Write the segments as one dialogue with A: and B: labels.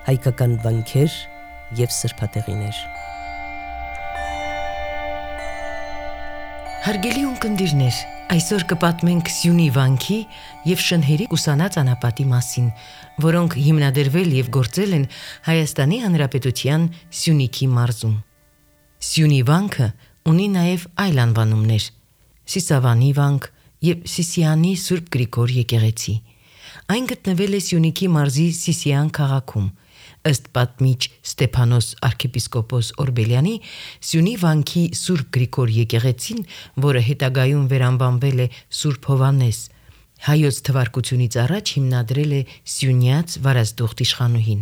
A: հայկական վանքեր և սրբատեղիներ։
B: Հարգելի ունկնդիրներ, այսօր կպատմենք Սյունի վանքի և շնհերի ուսանած անապատի մասին, որոնք հիմնադրվել և գործել են Հայաստանի Հանրապետության Սյունիքի մարզում։ Սյունի վանքը ունի նաև այլ անվանումներ՝ Սիսավանի վանք և Սիսիանի Սուրբ Գրիգոր եկեղեցի։ Այն գտնվել է Սյունիքի մարզի Սիսիան քաղաքում։ Ըստ պատմիչ Ստեփանոս arczepiskopos Օրբելյանի, Սյունի վանքի Սուրբ Գրիգոր եկեղեցին, որը հետագայում վերանվանվել է Սուրբ Հովհաննես, հայոց թվարկությունից առաջ հիմնադրել է Սյունյաց Վարազդուխտ իշխանուհին։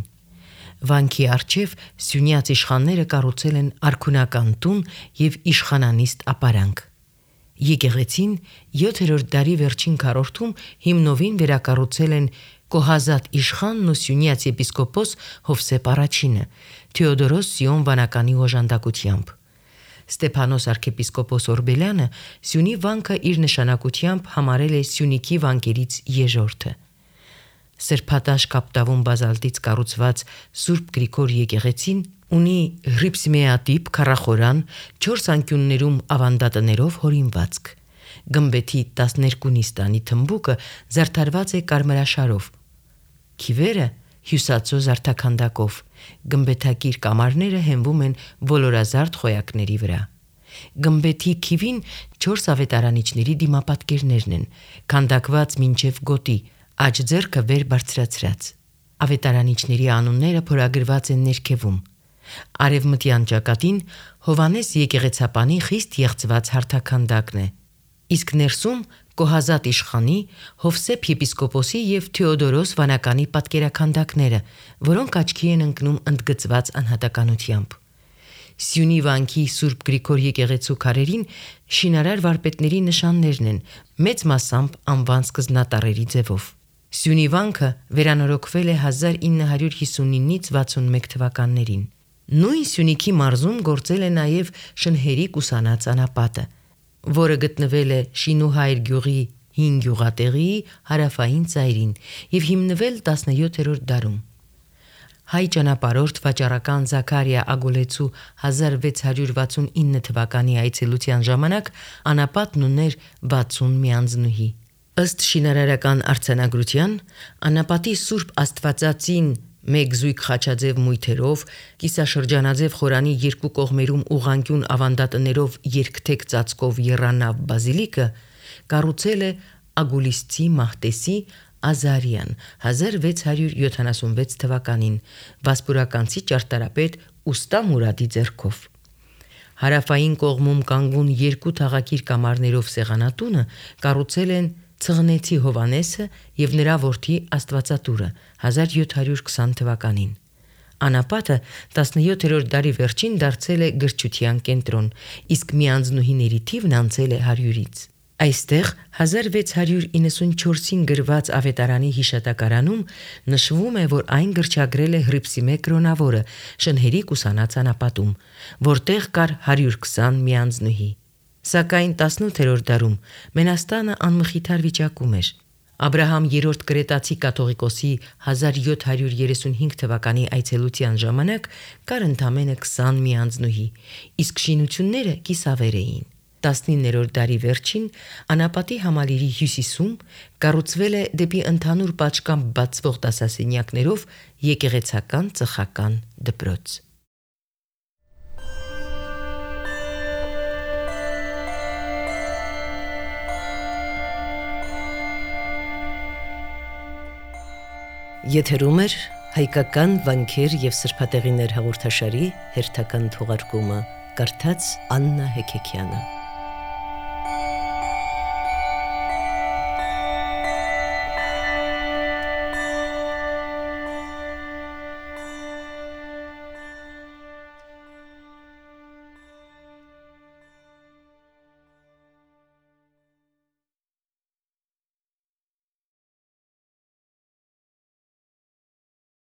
B: Վանքի առջև սյունյաց իշխանները կառուցել են արքունական տուն և իշխանանիստ ապարանք։ Եկեղեցին 7-րդ դարի վերջին քառորդում հիմնովին վերակառուցել են Կոհազատ իշխանն ու սյունյաց եպիսկոպոս Հովսեփ I-ը Թեոդորոս Սիոն վանականի օժանդակությամբ։ Ստեփանոս arczepiskopos Օրբելյանը Սյունի վանքը իր նշանակությամբ համարել է Սյունիքի վանքերից երրորդը։ Սրբատաշ կապտավուն բազալտից կառուցված Սուրբ Գրիգոր եկեղեցին ունի հրիփսմեատիպ քառախորան 4 անկյուններում ավանդատներով հորինվածք։ Գմբեթի 12 նիստանի թմբուկը զարդարված է կարմրաշարով, քիվերը հյուսածո զարդաքանդակով, գմբեթակիր կամարները հենվում են ոլորազարդ խոյակների վրա։ Գմբեթի քիվին 4 ավետարանիչների դիմապատկերներն են, քանդակված մինչև գոտի, աջ ձեռքը վեր բարձրացրած։ Ավետարանիչների անունները փորագրված են ներքևում։ Արևմտյան ճակատին Հովհաննես եկեղեցապանի խիստ եղծված հարթաքանդակն է, իսկ ներսում Կոհազատ իշխանի, Հովսեփ եպիսկոպոսի և Թեոդորոս վանականի պատկերաքանդակները, որոնք աչքի են ընկնում ընդգծված անհատականությամբ։ Սյունի վանքի Սուրբ Գրիգոր եկեղեցու քարերին շինարար վարպետների նշաններն են, մեծ մասամբ անվան սկզբնատառերի ձևով։ Սյունի վանքը վերանորոգվել է 1959-ից 61 թվականներին։ Նույն Սյունիքի մարզում գործել է նաև շնհերի ուսանած անապատը, որը գտնվել է Շինուհայր գյուղի 5 գյուղատեղիի հարավային ծայրին և հիմնվել 17-րդ դարում։ Հայ ճանապարհորդ վաճառական Զաքարիա Ագոլեցու 1669 թվականի այցելության ժամանակ անապատն ուներ 60 միանձնուհի։ Ըստ շինարարական արձանագրության, անապատի Սուրբ Աստվածածին մեկ զույգ խաչաձև մույթերով, կիսաշրջանաձև խորանի երկու կողմերում ուղղանկյուն ավանդատներով երկթեք ծածկով եռանավ բազիլիկը կառուցել է Ագուլիսցի Մահտեսի Ազարյան 1676 թվականին վասպուրականցի ճարտարապետ Ուստա Մուրադի ձեռքով։ Հարավային կողմում կանգուն երկու թաղակիր կամարներով սեղանատունը կառուցել են Ցղնեցի Հովհաննեսը և նրա որդի Աստվածատուրը 1720 թվականին։ Անապատը 17-րդ դարի վերջին դարձել է գրչության կենտրոն, իսկ միանձնուհիների թիվն անցել է 100-ից։ Այստեղ 1694-ին գրված ավետարանի հիշատակարանում նշվում է, որ այն գրչագրել է Հռիփսիմե կրոնավորը շնհերի ուսանած անապատում, որտեղ կար 120 միանձնուհի։ Սակայն 18-րդ դարում Մենաստանը անմխիթար վիճակում էր։ Աբրահամ III Կրետացի կաթողիկոսի 1735 թվականի այցելության ժամանակ կար ընդամենը 20 միանձնուհի, իսկ շինությունները կիսավեր էին։ 19-րդ դարի վերջին անապատի համալիրի հյուսիսում կառուցվել է դեպի ընդհանուր պատշգամբ բացվող դասասենյակներով եկեղեցական ծխական դպրոց։
A: Եթերում է հայկական վանքեր և սրբատեղիներ հաղորդաշարի հերթական թողարկումը, կարդաց Աննա Հեքեքյանը։